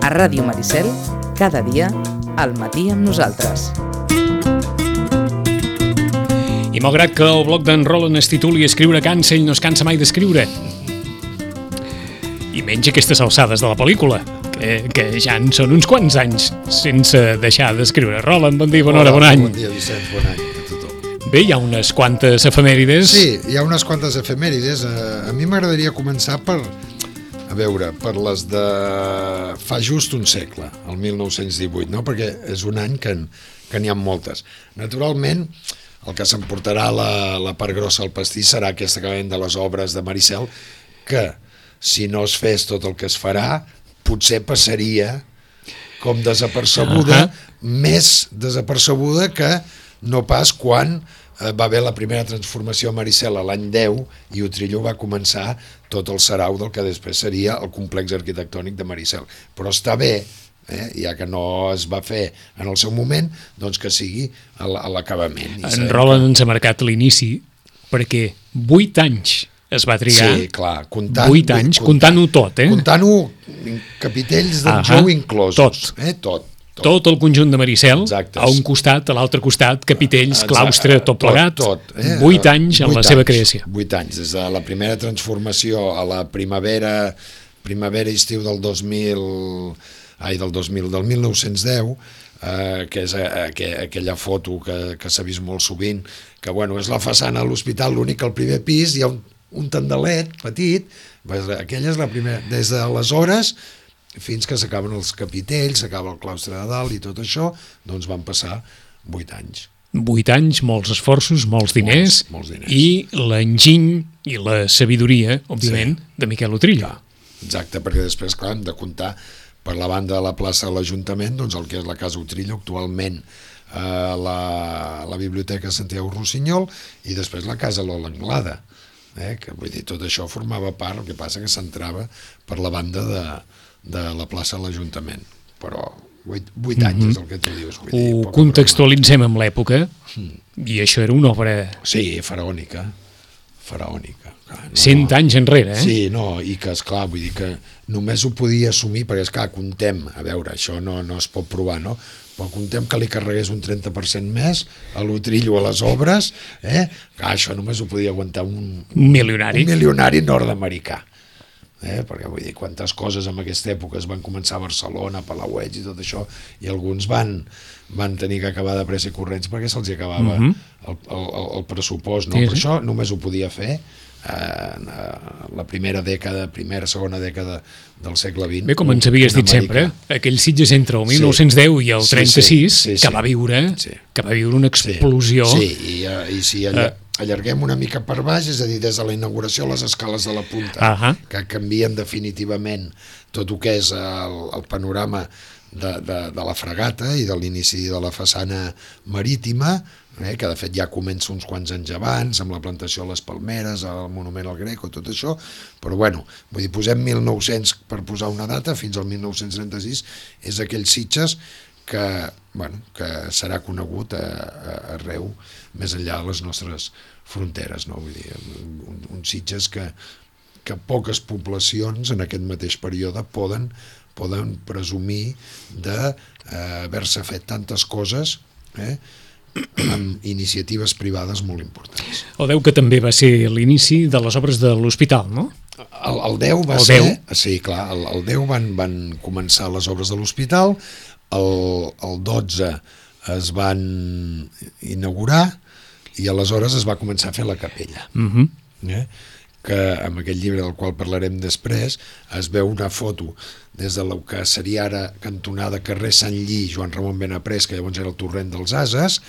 A Ràdio Maricel, cada dia, al matí amb nosaltres. I malgrat que el blog d'en Roland es tituli Escriure cansa, ell no es cansa mai d'escriure. I menys aquestes alçades de la pel·lícula, que ja en són uns quants anys sense deixar d'escriure. Roland, bon dia, bona hora, bon any. Bon dia, Vicenç, bon any a tothom. Bé, hi ha unes quantes efemèrides. Sí, hi ha unes quantes efemèrides. A mi m'agradaria començar per les de fa just un segle, el 1918, no? Perquè és un any que n'hi ha moltes. Naturalment, el que s'emportarà la part grossa del pastís serà aquesta que ven de les obres de Maricel, que si no es fes tot el que es farà, potser passaria com desapercebuda, més desapercebuda que no pas quan va haver la primera transformació a Maricel a l'any 10 i Utrillo va començar tot el sarau del que després seria el complex arquitectònic de Maricel. Però està bé, ja que no es va fer en el seu moment, doncs que sigui a l'acabament. En Roland ens ha marcat l'inici perquè 8 anys es va trigar. Sí, clar, comptant-ho tot, Comptant-ho, capitells d'en Jou inclosos. Tot el conjunt de Maricel, exacte. A un costat, a l'altre costat, capitells, claustre, tot plegat. 8 anys en la seva creació. 8 anys, des de la primera transformació a la primavera-estiu del 1910, que és aquella foto que s'ha vist molt sovint, que és la façana de l'hospital, l'únic que al primer pis hi ha un tendalet petit, aquella és la primera. Des d'aleshores fins que s'acaben els capitells, s'acaba el claustre de dalt i tot això, doncs van passar 8 anys. 8 anys, molts esforços, molts diners. I l'enginy i la sabidoria, òbviament, de Miquel Utrillo. Exacte, perquè després, clar, hem de comptar per la banda de la plaça de l'Ajuntament, doncs el que és la Casa Utrillo, actualment la Biblioteca Santiago Rossinyol, i després la Casa Lola Anglada, que vull dir, tot això formava part, el que passa que s'entrava per la banda de la plaça de l'Ajuntament, però 8 anys és el que tu dius. Ho contextualitzem amb l'època, i això era una obra... Sí, faraònica. 100 anys enrere, Sí, i que, esclar, vull dir que només ho podia assumir, perquè, esclar, contem, a veure, això no es pot provar, no? Però contem que li carregués un 30% més a l'Utrillo a les obres, clar, això només ho podia aguantar un milionari nord-americà. Perquè vull dir, quantes coses en aquesta època es van començar a Barcelona, a Palauets i tot això, i alguns van tenir que acabar de pressa i corrents perquè se'ls acabava el pressupost, no? Per això només ho podia fer la segona dècada del segle XX. Bé, com ens havies dit sempre, aquell Sitges entre el 1910 i el 36, que va viure una explosió. Sí, i si allarguem una mica per baix, és a dir, des de la inauguració a les escales de la punta, que canvien definitivament tot el que és el panorama de la fragata i de l'inici de la façana marítima, que de fet ja comença uns quants anys abans, amb la plantació de les palmeres, el monument al Greco, tot això, però vull dir, posem 1900 per posar una data, fins al 1936, és aquell Sitges que serà conegut arreu, més enllà de les nostres fronteres, no? Vull dir, un Sitges que poques poblacions en aquest mateix període poden presumir d'haver-se fet tantes coses amb iniciatives privades molt importants. El 10 que també va ser l'inici de les obres de l'hospital, no? El 10 va ser... Sí, clar, el 10 van començar les obres de l'hospital, el 12 es van inaugurar i aleshores es va començar a fer la capella. Que en aquest llibre del qual parlarem després es veu una foto des del que seria ara cantonada carrer Sant Lli, Joan Ramon Benaprés, que llavors era el torrent dels Ases,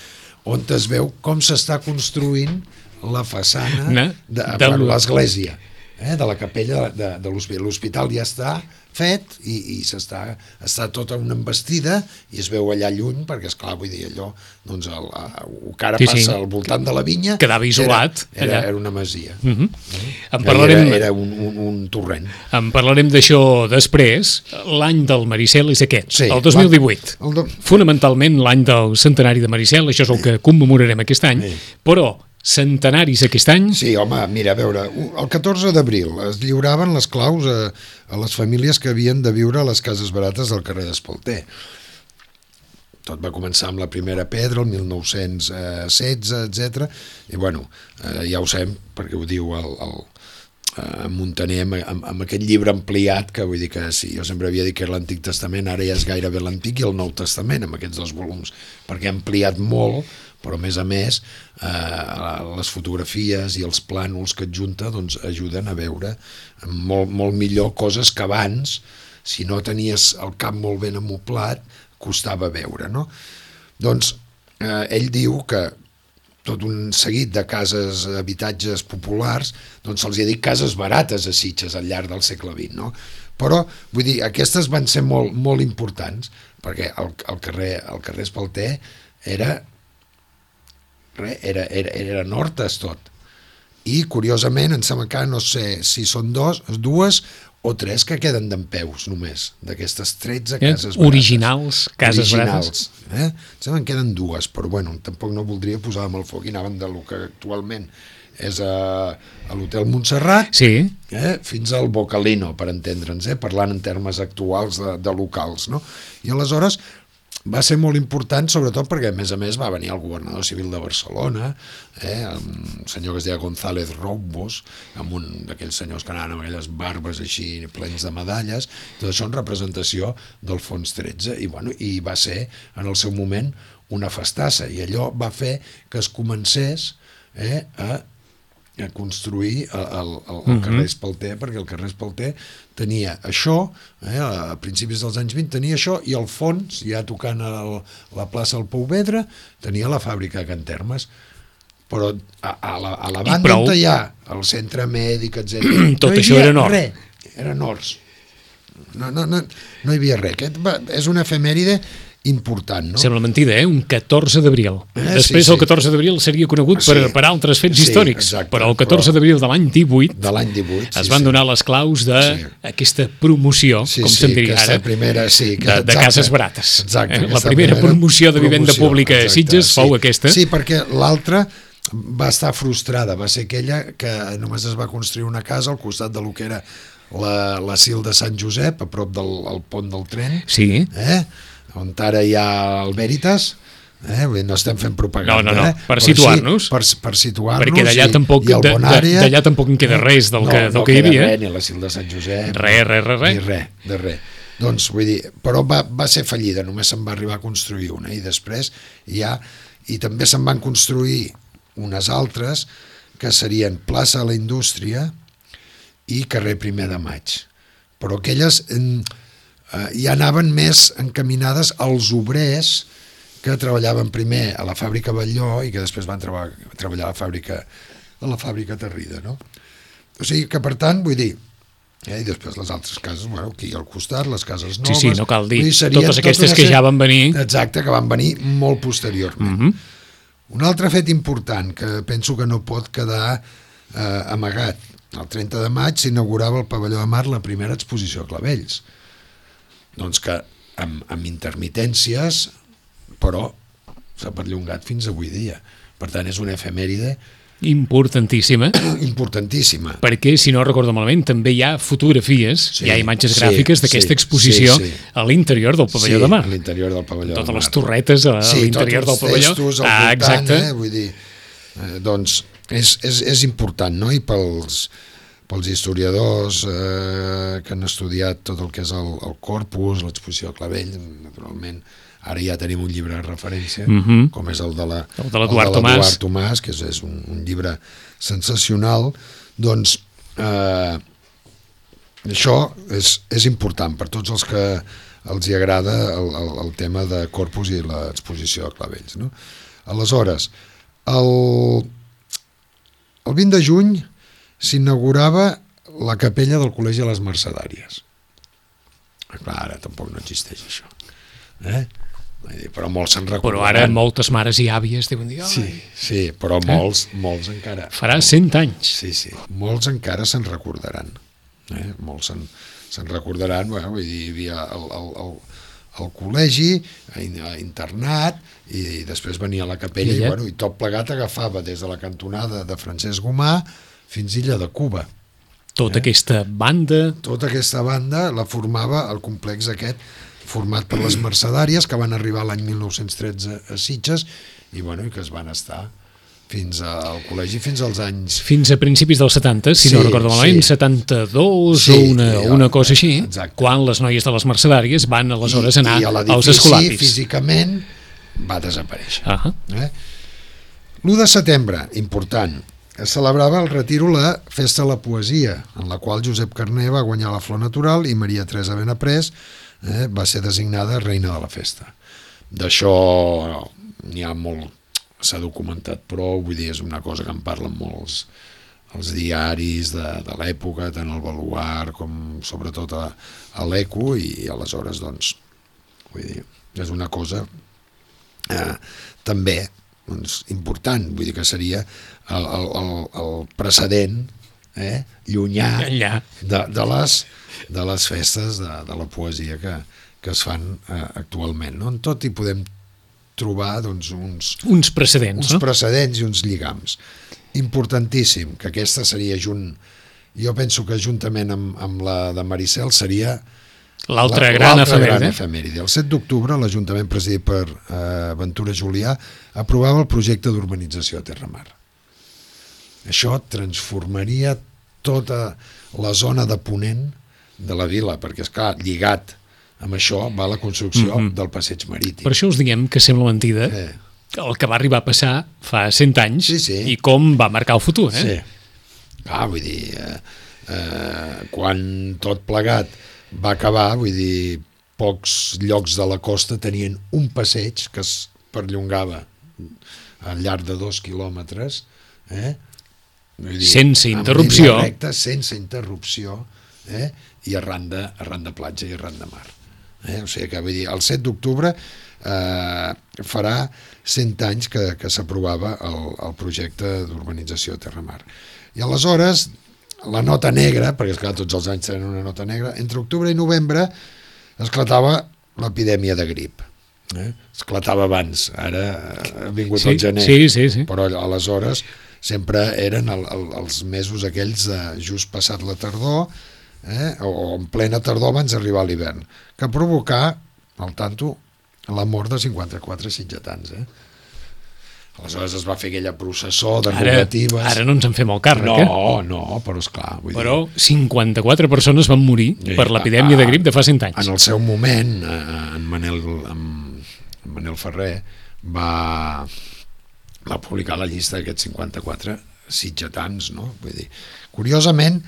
on es veu com s'està construint la façana de l'església, de la capella de l'hospital. L'hospital ja està fet i està tota una embestida i es veu allà lluny, perquè esclar, vull dir, allò doncs el que ara passa al voltant de la vinya quedava isolat, era una masia, era un torrent. En parlarem d'això després. L'any del Maricel és aquest, el 2018, fonamentalment l'any del centenari de Maricel, això és el que commemorarem aquest any, però centenaris aquest any. Sí, home, mira, a veure, el 14 d'abril es lliuraven les claus a les famílies que havien de viure a les cases barates del carrer d'Espalter. Tot va començar amb la primera pedra, el 1916, etc. I, bueno, ja ho sabem, perquè ho diu en Muntaner amb aquest llibre ampliat, que vull dir que sí, jo sempre havia dit que era l'Antic Testament, ara ja és gairebé l'Antic i el Nou Testament, amb aquests 2 volums, perquè ha ampliat molt, però a més les fotografies i els plànols que adjunta doncs, ajuden a veure molt, molt millor coses que abans, si no tenies el cap molt ben amoblat, costava veure, no? Doncs ell diu que tot un seguit de cases, habitatges populars, doncs se'ls ha dit cases barates a Sitges al llarg del segle XX, no? Però, vull dir, aquestes van ser molt, molt importants, perquè el carrer Espalter era Hortes tot. I, curiosament, em sembla que no sé si són dues o 3 que queden dempeus només, d'aquestes 13 cases barates. Originals, cases barates. Em sembla que queden 2, però bueno, tampoc no voldria posar amb el foc i anaven del que actualment és a l'Hotel Montserrat, sí. Fins al Bocalino, per entendre'ns, parlant en termes actuals de locals, no? I aleshores va ser molt important, sobretot perquè, a més, va venir el governador civil de Barcelona, un senyor que es deia González Roubos, amb un d'aquells senyors que anaven amb aquelles barbes així plens de medalles, tot això en representació del Fons 13, i va ser, en el seu moment, una festassa, i allò va fer que es comencés a construir el carrer Espalter, perquè el carrer Espalter tenia això, a principis dels anys 20 tenia això, i al fons, ja tocant a la plaça del Pouvedre, tenia la fàbrica de Can Termes. Però a la banda on hi ha el centre mèdic, etc. Tot això era nord. Eren horts. No hi havia res. Aquest és una efemèride important, no? Sembla mentida, un 14 d'abril. Després el 14 d'abril seria conegut per altres fets històrics, exacte, però el 14 d'abril de l'any 18 es van donar les claus d'aquesta promoció, com se'n diria ara, de cases barates. La primera promoció de vivenda pública a Sitges fou aquesta. Sí, perquè l'altra va estar frustrada, va ser aquella que només es va construir una casa al costat de lo que era l'asil de Sant Josep, a prop del pont del tren, on ara hi ha el Veritas, no estem fent propaganda. No, per situar-nos. Per situar-nos. Perquè d'allà tampoc en queda res del que hi havia. No queda res, ni l'asil de Sant Josep. Res. Doncs, vull dir, però va ser fallida, només se'n va arribar a construir una, i després i també se'n van construir unes altres que serien plaça de la Indústria i carrer Primer de Maig. Però aquelles ja anaven més encaminades als obrers que treballaven primer a la fàbrica Batlló i que després van treballar a la fàbrica Terrida, no? O sigui que, per tant, vull dir, i després les altres cases, aquí al costat, les cases noves... Sí, no cal dir, totes aquestes que ja van venir... Exacte, que van venir molt posteriorment. Un altre fet important que penso que no pot quedar amagat. El 30 de maig s'inaugurava al Pavelló de Mar la primera exposició a Clavells. Doncs que amb intermitències, però s'ha perllongat fins avui dia. Per tant, és una efemèride importantíssima. Perquè, si no recordo malament, també hi ha fotografies, hi ha imatges gràfiques d'aquesta exposició a l'interior del Pavelló de Mar. A l'interior del Pavelló de Mar. Totes les torretes a l'interior del pavelló. Sí, tots els festos al voltant, vull dir... Doncs és important, no? I pels historiadors que han estudiat tot el que és el corpus, l'exposició de Clavell, naturalment, ara ja tenim un llibre de referència, com és el de l'Eduard Tomàs, que és un llibre sensacional. Doncs això és important per tots els que els hi agrada el tema de corpus i l'exposició de Clavells, no? Aleshores, el 20 de juny s'inaugurava la capella del Col·legi de les Mercedàries. Clar, ara tampoc no existeix això. Però molts se'n recordaran. Però ara moltes mares i àvies deuen dir... Sí, però molts encara... Farà 100 anys. Sí, molts encara se'n recordaran. Molts se'n recordaran, vull dir, hi havia al col·legi, internat, i després venia a la capella, i tot plegat agafava des de la cantonada de Francesc Gomà fins a Illa de Cuba. Tota aquesta banda... Tota aquesta banda la formava el complex aquest, format per les Mercedàries, que van arribar l'any 1913 a Sitges, i que es van estar fins al col·legi fins als anys... Fins a principis dels 70, si no recordo malament, 72 o una cosa així, quan les noies de les Mercedàries van aleshores anar als escolapis. I físicament va desaparèixer. L'1 de setembre, important, es celebrava al Retiro la Festa de la Poesia, en la qual Josep Carner va guanyar la Flor Natural i Maria Teresa Benaprés va ser designada reina de la festa. D'això n'hi ha molt, s'ha documentat prou, vull dir, és una cosa que en parlen molts els diaris de l'època, tant el Baluard com sobretot a l'Eco, i aleshores, doncs, vull dir, és una cosa també important, vull dir que seria el precedent llunyà de les festes de la poesia que es fan actualment. En tot hi podem trobar uns precedents, precedents i uns lligams. Importantíssim, que aquesta seria jo penso que juntament amb la de Maricel seria l'altra gran efemèride. El 7 d'octubre, l'Ajuntament presidit per Ventura Julià aprovava el projecte d'urbanització a Terramar. Això transformaria tota la zona de ponent de la vila, perquè, esclar, lligat amb això va la construcció del passeig marítim. Per això us diguem que sembla mentida el que va arribar a passar fa 100 anys i com va marcar el futur. Sí. Vull dir, quan tot plegat va acabar, vull dir, pocs llocs de la costa tenien un passeig que es perllongava al llarg de 2 quilòmetres, sense interrupció, sense interrupció, i arran de platja i arran de mar. O sigui que, vull dir, el 7 d'octubre farà 100 anys que s'aprovava el projecte d'urbanització a Terramar. I aleshores, la nota negra, perquè esclar, tots els anys tenen una nota negra, entre octubre i novembre esclatava l'epidèmia de grip. Esclatava abans, ara ha vingut el gener, però aleshores sempre eren els mesos aquells just passat la tardor, o en plena tardor abans d'arribar a l'hivern, que provocà, al tanto, la mort de 54 sitgetans. Aleshores es va fer aquella processó de rogatives. Ara no ens en fem el càrrec, No, però esclar. Però 54 persones van morir per l'epidèmia de grip de fa 100 anys. En el seu moment, en Manel Ferrer va publicar la llista d'aquests 54 sitgetans, no? Vull dir, curiosament,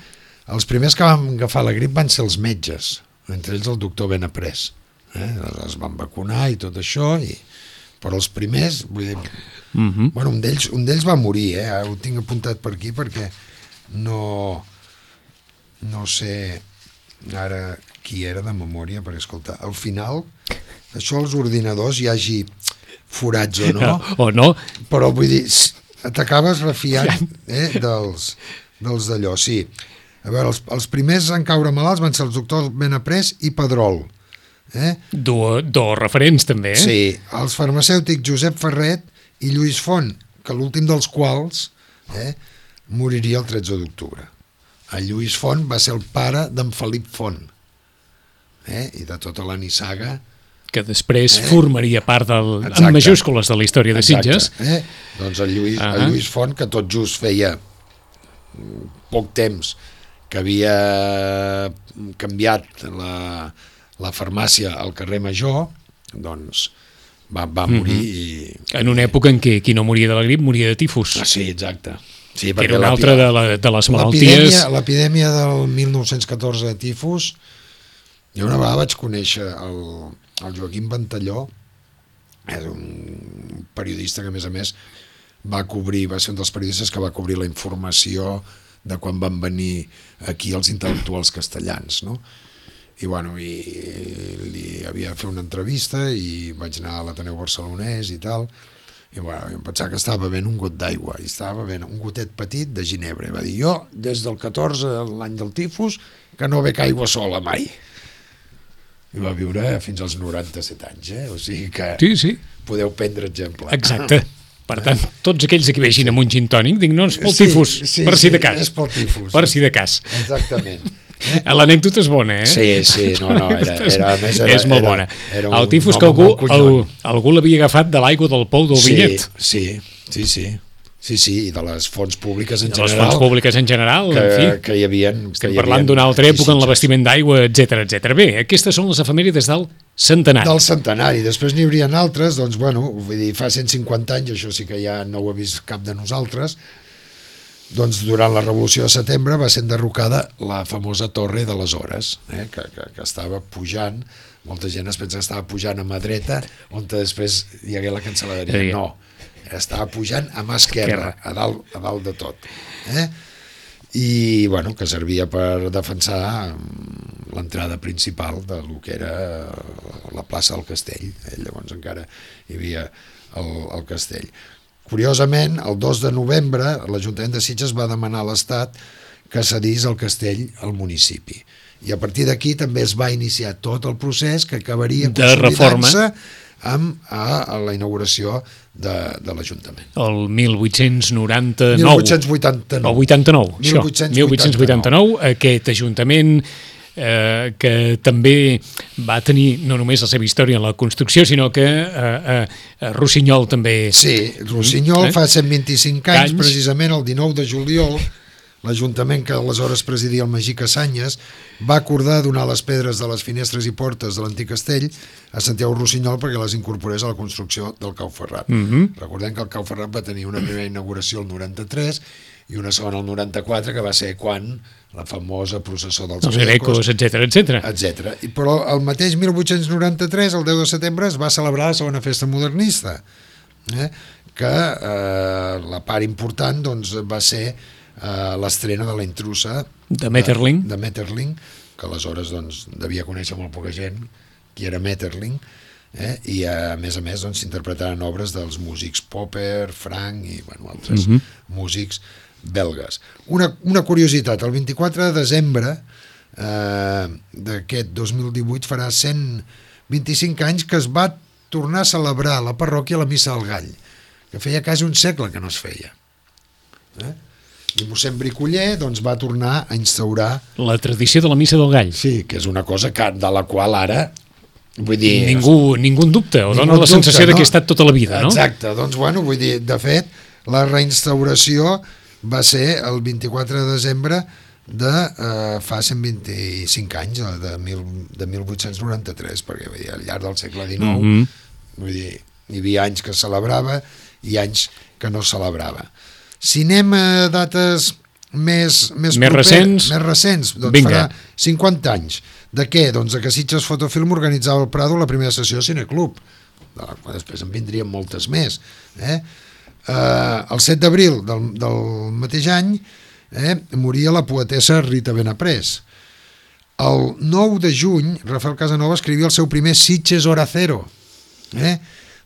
els primers que van agafar la grip van ser els metges, entre ells el doctor Benaprés. Es van vacunar i tot això, però els primers, vull dir, un d'ells va morir, ho tinc apuntat per aquí perquè no sé ara qui era de memòria, perquè escolta, al final això als ordinadors hi hagi forats o no, però vull dir, t'acabes refiant dels d'allò, sí. A veure, els primers en caure malalts van ser els doctors Benaprés i Pedrol. Dos referents també, Sí, els farmacèutics Josep Ferret i Lluís Font, que l'últim dels quals moriria el 13 d'octubre. El Lluís Font va ser el pare d'en Felip Font, i de tota la nissaga, que després formaria part en majúscules de la història de Sitges. Doncs el Lluís Font, que tot just feia poc temps que havia canviat la farmàcia al carrer Major, doncs va morir. En una època en què qui no moria de la grip moria de tifus. Sí, exacte. Sí, que era una altra de les malalties. L'epidèmia del 1914 de tifus, jo una vegada vaig conèixer el Joaquim Ventalló, és un periodista que a més va ser un dels periodistes que va cobrir la informació de quan van venir aquí els intel·lectuals castellans, no? I li havia de fer una entrevista i vaig anar a l'Ateneu Barcelonès i tal, i em pensava que estava bevent un got d'aigua, i estava bevent un gotet petit de ginebra, i va dir, jo des del 14, l'any del tifus, que no bec aigua sola mai. i va viure fins als 97 anys, o sigui que sí. Podeu prendre exemple. Exacte. Per tant, tots aquells que vegin amb un gin tònic, dic, no, és pel tifus, per si de cas. És pel tifus. Per si de cas. Exactament. L'anècdota és bona, Sí, no, és molt bona. El tifus que algú l'havia agafat de l'aigua del pou del Vinyet. Sí, i de les fonts públiques en general. De les fonts públiques en general, en fi. Que hi havia... Estem parlant d'una altra època en l'abastiment d'aigua, etc. Bé, aquestes són les efemèrides del centenari. Del centenari. Després n'hi haurien altres, doncs, bueno, vull dir, fa 150 anys, això sí que ja no ho ha vist cap de nosaltres, doncs durant la Revolució de Setembre va ser enderrocada la famosa Torre de les Hores, que estava pujant, molta gent es pensa que estava pujant a mà dreta, on després hi hagué la cancel·leria. No, estava pujant a mà esquerra, a dalt de tot. I, bueno, que servia per defensar l'entrada principal de lo que era la plaça del Castell. Llavors encara hi havia el castell. Curiosament, el 2 de novembre, l'Ajuntament de Sitges va demanar a l'Estat que cedís el castell al municipi. I a partir d'aquí també es va iniciar tot el procés que acabaria consolidant-se amb la inauguració de l'Ajuntament. El 1899. 1889. O 89, això. 1889, aquest Ajuntament que també va tenir no només la seva història en la construcció, sinó que Rossinyol també... Sí, Rossinyol fa 125 anys, precisament el 19 de juliol, l'Ajuntament que aleshores presidia el Magí Cassanyes va acordar donar les pedres de les finestres i portes de l'antic castell a Santiago Rossinyol perquè les incorporés a la construcció del Cau Ferrat. Recordem que el Cau Ferrat va tenir una primera inauguració el 93 i una segona el 94, que va ser quan la famosa processó dels Grecos, etc. Però el mateix 1893, el 10 de setembre, es va celebrar la segona festa modernista, que la part important doncs, va ser l'estrena de La intrusa de Metterling, que aleshores doncs, devia conèixer molt poca gent qui era Metterling, i a més doncs, s'interpretaran obres dels músics Popper, Frank i altres músics belgues. Una curiositat, el 24 de desembre d'aquest 2018 farà 125 anys que es va tornar a celebrar a la parròquia la Missa del Gall, que feia quasi un segle que no es feia. I mossèn Bricoller doncs, va tornar a instaurar la tradició de la Missa del Gall. Sí, que és una cosa de la qual ara vull dir... Ningú en dubta, o dona la sensació que ha estat tota la vida, no? Exacte, doncs bueno, vull dir, de fet, la reinstauració va ser el 24 de desembre de fa 125 anys, de 1893, perquè vull dir, al llarg del segle XIX vull dir, hi havia anys que es celebrava i anys que no es celebrava. Si anem a dates més recents, doncs farà 50 anys. De què? Doncs de que Sitges Fotofilm organitzava al Prado la primera sessió de Cineclub. Després en vindrien moltes més. El 7 d'abril del mateix any moria la poetessa Rita Benaprés. El 9 de juny, Rafael Casanova escrivia el seu primer Sitges Hora Cero,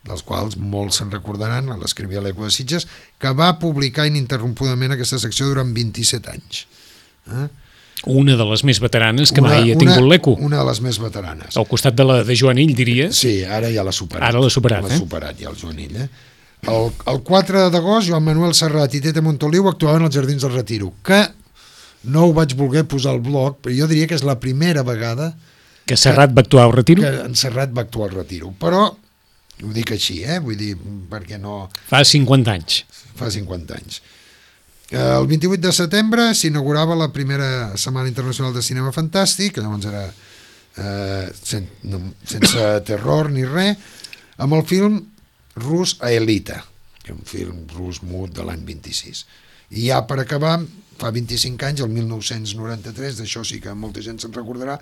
dels quals molts se'n recordaran, l'escrivia a l'Eco de Sitges, que va publicar ininterrompudament aquesta secció durant 27 anys. Una de les més veteranes que mai ha tingut l'Eco. Una de les més veteranes. Al costat de la de Joanill, diries? Sí, ara ja l'ha superat. Ara l'ha superat, L'ha superat ja el Joanill, El 4 d'agost, Joan Manuel Serrat i Tete Montoliu actuaven als Jardins del Retiro, que no ho vaig voler posar al blog, però jo diria que és la primera vegada que Serrat va actuar al Retiro. Que en Serrat va actuar al Retiro, però ho dic així, vull dir, perquè no... Fa 50 anys. Fa 50 anys. El 28 de setembre s'inaugurava la primera Setmana Internacional de Cinema Fantàstic, que llavors era sense terror ni res, amb el film rus Aelita, que és un film rus mut de l'any 26. I ja per acabar, fa 25 anys, el 1993, d'això sí que molta gent se'n recordarà,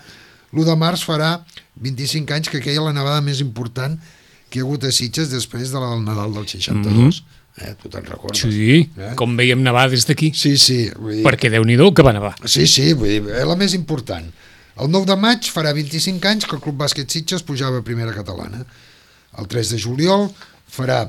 l'1 de març farà 25 anys que aquella la nevada més important que hi ha hagut a Sitges després del Nadal del 62. Tu te'n recordes? Sí, com veiem nevar des d'aquí. Sí. Vull dir... Perquè Déu-n'hi-do que va nevar. Sí, vull dir, la més important. El 9 de maig farà 25 anys que el Club Bàsquet Sitges pujava a primera catalana. El 3 de juliol farà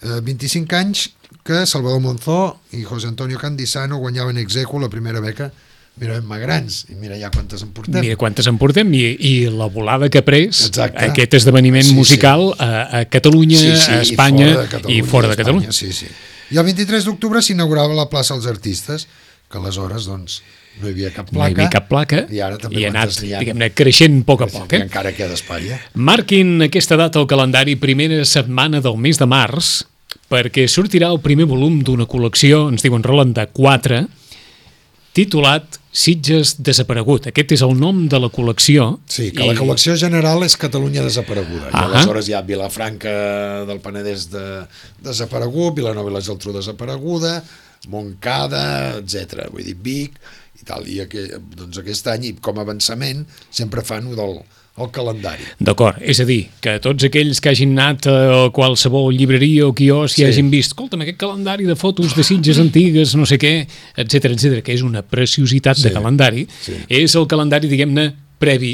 25 anys que Salvador Monzó i José Antonio Candisano guanyaven ex aequo la primera beca grans, i mira ja quantes en portem. Mira quantes en portem, i la volada que ha pres aquest esdeveniment musical a Catalunya, a Espanya i fora de Catalunya. I el 23 d'octubre s'inaugurava la plaça als Artistes, que aleshores, doncs, no hi havia cap placa, i ha anat, diguem-ne, creixent a poc a poc. I encara queda espai. Marquin aquesta data al calendari, primera setmana del mes de març, perquè sortirà el primer volum d'una col·lecció, ens diuen Roland, de 4, titulat Sitges desaparegut. Aquest és el nom de la col·lecció. Sí, que la col·lecció general és Catalunya desapareguda. I aleshores hi ha Vilafranca del Penedès desaparegut, Vilanova i la Geltrú desapareguda, Montcada, etc. Vull dir, Vic i tal. I doncs aquest any, com a avançament, sempre fan el calendari. D'acord, és a dir, que tots aquells que hagin anat a qualsevol llibreria o quiosc i hagin vist, escolta'm, aquest calendari de fotos de Sitges antigues, no sé què, etc, que és una preciositat de calendari, és el calendari, diguem-ne, previ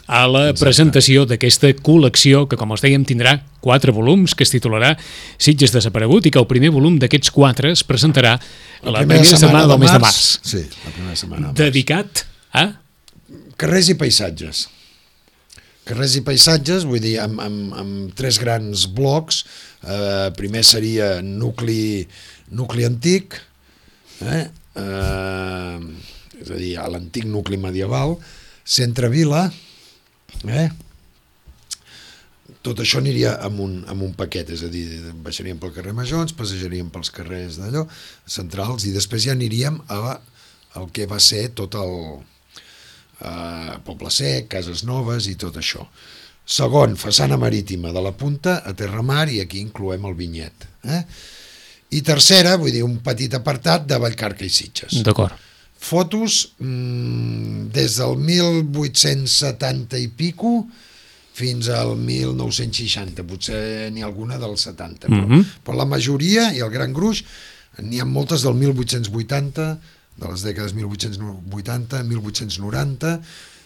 a la presentació d'aquesta col·lecció que, com els dèiem, tindrà 4 volums, que es titularà Sitges desaparegut, i que el primer volum d'aquests 4 es presentarà a la primera setmana del mes de març. Sí, la primera setmana. Dedicat a carrers i paisatges. Carrers i paisatges, vull dir, amb 3 grans blocs. Primer seria nucli antic, és a dir, l'antic nucli medieval, centre-vila, tot això aniria amb un paquet, és a dir, baixaríem pel carrer Major, ens passejaríem pels carrers d'allò, centrals, i després ja aniríem al que va ser tot el Poble Sec, Cases Noves i tot això. Segon, façana marítima de la Punta a Terramar, i aquí incloem el vinyet. I tercera, vull dir, un petit apartat de Vallcarca i Sitges. D'acord. Fotos des del 1870 i pico fins al 1960, potser n'hi ha alguna del 70, però la majoria i el gran gruix n'hi ha moltes del 1880, de les dècades 1880, 1890,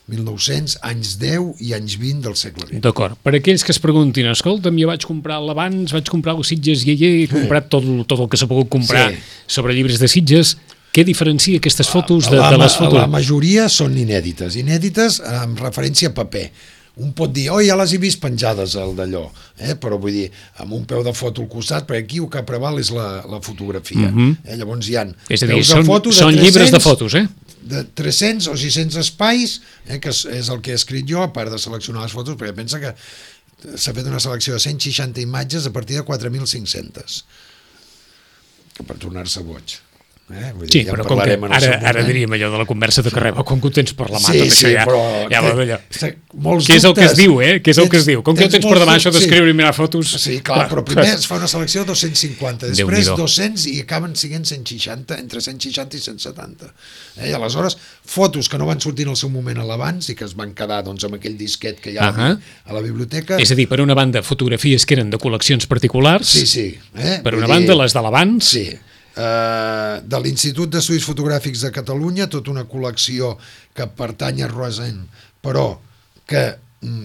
1900, anys 10 i anys 20 del segle XX. D'acord. Per aquells que es preguntin, escolta'm, jo vaig comprar l'Abans, vaig comprar el Sitges Ialler, he comprat tot el que s'ha pogut comprar sobre llibres de Sitges, què diferencia aquestes fotos de les fotos? La majoria són inèdites amb referència a paper. Un pot dir, ja les he vist penjades al d'allò, però vull dir, amb un peu de foto al costat, perquè aquí el que preval és la fotografia. Llavors hi ha és a dir, són llibres de fotos, de 300 o 600 espais, que és el que he escrit jo, a part de seleccionar les fotos, perquè pensa que s'ha fet una selecció de 160 imatges a partir de 4.500, que per tornar-se boig. Sí, però com que ara diríem allò de la conversa de carrer, com que ho tens per la mà, tot això ja va d'allò. Què és el que es diu, Què és el que es diu? Com que ho tens per demà, això d'escriure i mirar fotos... Sí, clar, però primer es fa una selecció de 250, després 200 i acaben sent 160, entre 160 i 170. I aleshores, fotos que no van sortir en el seu moment a l'Abans i que es van quedar amb aquell disquet que hi ha a la biblioteca... És a dir, per una banda, fotografies que eren de col·leccions particulars, per una banda, les de l'Abans... Sí, de l'Institut d'Estudis Fotogràfics de Catalunya, tota una col·lecció que pertany a Roisen, però que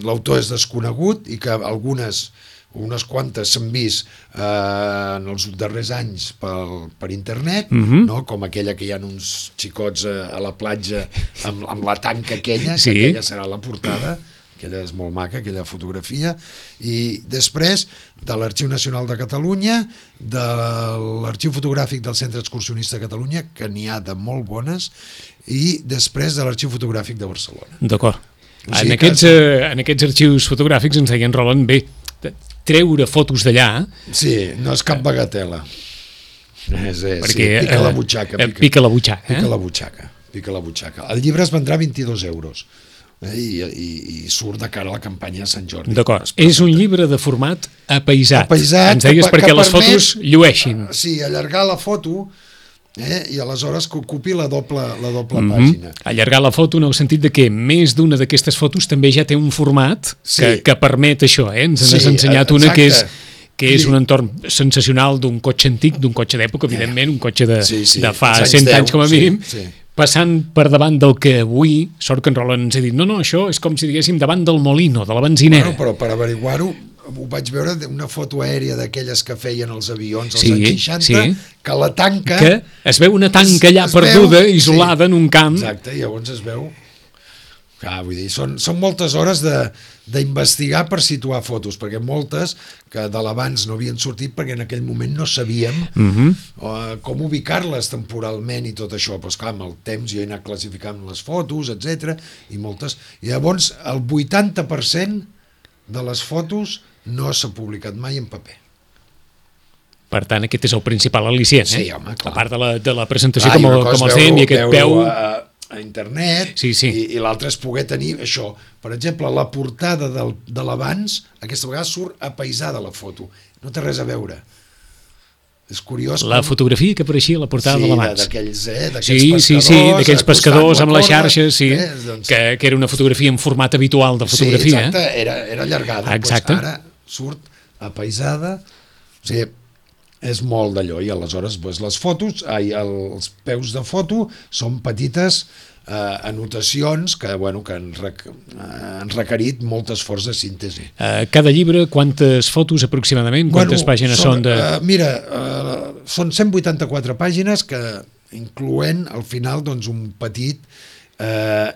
l'autor és desconegut i que unes quantes s'han vist en els darrers anys per internet, com aquella que hi ha uns xicots a la platja amb la tanca aquella, que aquella serà la portada, aquella és molt maca, aquella fotografia, i després de l'Arxiu Nacional de Catalunya, de l'Arxiu Fotogràfic del Centre Excursionista de Catalunya, que n'hi ha de molt bones, i després de l'Arxiu Fotogràfic de Barcelona. D'acord. En aquests arxius fotogràfics ens deien, Roland, bé, treure fotos d'allà... Sí, no és cap bagatela. Pica la butxaca. Pica la butxaca. Pica la butxaca. El llibre es vendrà 22 euros. I surt de cara a la campanya de Sant Jordi. D'acord, és un llibre de format apaïsat. Ens deies perquè les fotos llueixin. Sí, allargar la foto i aleshores que ocupi la doble pàgina. Allargar la foto en el sentit de que més d'una d'aquestes fotos també ja té un format que permet això. Ens has ensenyat una que és un entorn sensacional d'un cotxe antic, d'un cotxe d'època, evidentment, un cotxe de fa 100 anys com a mínim, passant per davant del que avui, sort que en Roland ens ha dit, no, això és com si diguéssim davant del Molino, de la benzinera. Però per averiguar-ho, ho vaig veure, una foto aèria d'aquelles que feien els avions als anys 60, que la tanca... Que es veu una tanca allà perduda, isolada en un camp. Exacte, i llavors es veu... Clar, vull dir, són moltes hores d'investigar per situar fotos, perquè moltes que de l'abans no havien sortit perquè en aquell moment no sabíem com ubicar-les temporalment i tot això. Però esclar, amb el temps jo he anat classificant les fotos, etc. I moltes... I llavors el 80% de les fotos no s'ha publicat mai en paper. Per tant, aquest és el principal al·licient, Sí, home, clar. A part de la presentació com el fem i aquest peu... a internet, sí. I l'altre és poder tenir això. Per exemple, la portada de l'abans, aquesta vegada surt apaisada la foto. No té res a veure. És curiós. La fotografia que apareixia a la portada de l'abans. D'aquells pescadors. D'aquells pescadors amb les xarxes, que era una fotografia en format habitual de fotografia. Sí, exacte, era allargada. Exacte. Ara surt apaisada, o sigui, és molt d'allò, i aleshores les fotos, els peus de foto són petites anotacions que han requerit molt esforç de síntesi. Cada llibre, quantes fotos aproximadament? Quantes pàgines són de... Mira, són 184 pàgines que incloent al final un petit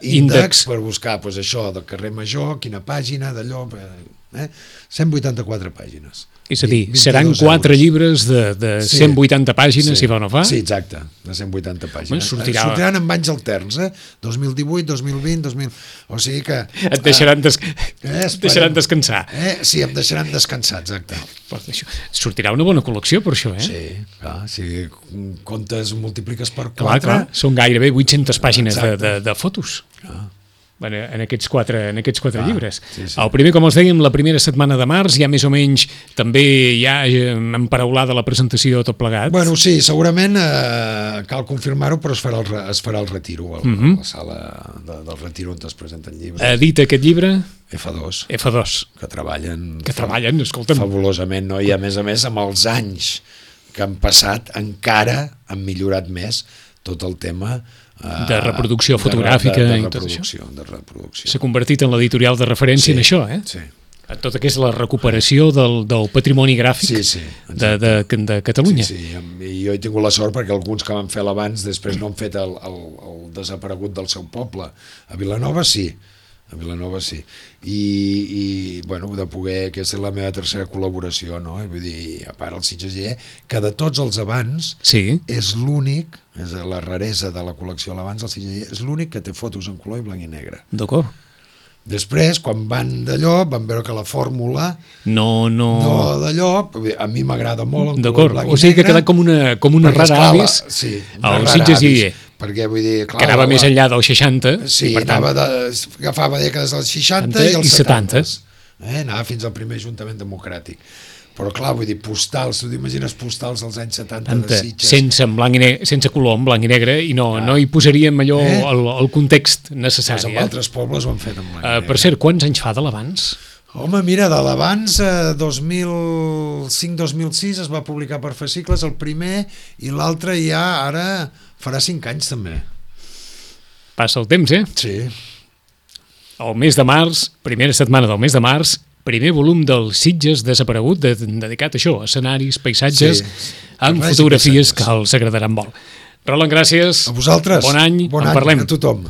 índex per buscar això del carrer Major, quina pàgina, d'allò... 184 pàgines. És a dir, seran 4 llibres de 180 pàgines, si va o no fa? Sí, exacte, de 180 pàgines. Sortiran amb anys alterns, 2018, 2020, 2000... O sigui que... Et deixaran descansar. Sí, em deixaran descansar, exacte. Sortirà una bona col·lecció, per això, Sí, clar, si comptes, multipliques per 4... Clar, són gairebé 800 pàgines de fotos. En aquests quatre llibres. Sí. El primer, com els dèiem, la primera setmana de març, ja més o menys també ja emparaulada la presentació tot plegat. Bueno, sí, segurament cal confirmar-ho, però es farà el retiro, a la sala del retiro on es presenten llibres. Dit aquest llibre? F2. Que treballen, escolta'm. Fabulosament, no? I a més, amb els anys que han passat, encara han millorat més tot el tema de reproducció fotogràfica i tot això. De reproducció. S'ha convertit en l'editorial de referència en això, Sí. En tot el que és la recuperació del patrimoni gràfic de Catalunya. Sí, i jo he tingut la sort perquè alguns que van fer l'abans després no han fet el desaparegut del seu poble. A Vilanova sí. I de poder, aquesta és la meva tercera col·laboració, no? Vull dir, a part el Sitges, que de tots els abans és l'únic, és la raresa de la col·lecció l'abans, el Sitges és l'únic que té fotos en color i blanc i negre. D'acord. Després, quan van d'allò, van veure que la fórmula no d'allò, a mi m'agrada molt en color blanc i negre. O sigui que ha quedat com una rara avis al Sitges perquè vull dir, clar, que anava més enllà dels 60 sí, per tant, agafava dècades dels 60 i els 70 anava fins al primer Ajuntament Democràtic, però clar, vull dir, postals, tu t'imagines postals dels anys 70 de Sitges sense color, en blanc i negre, i no hi posaríem allò el context necessari. Doncs altres pobles ho han fet en blanc i negre. Per cert, quants anys fa de l'abans? Home, mira, de l'abans 2005-2006 es va publicar per fascicles el primer, i l'altre ja ara farà 5 anys també. Passa el temps, Sí. El mes de març, primera setmana del mes de març, primer volum del Sitges desaparegut, dedicat a això, escenaris, paisatges, amb fotografies que els agradaran molt. Roland, gràcies. A vosaltres. Bon any, en parlem. A tothom.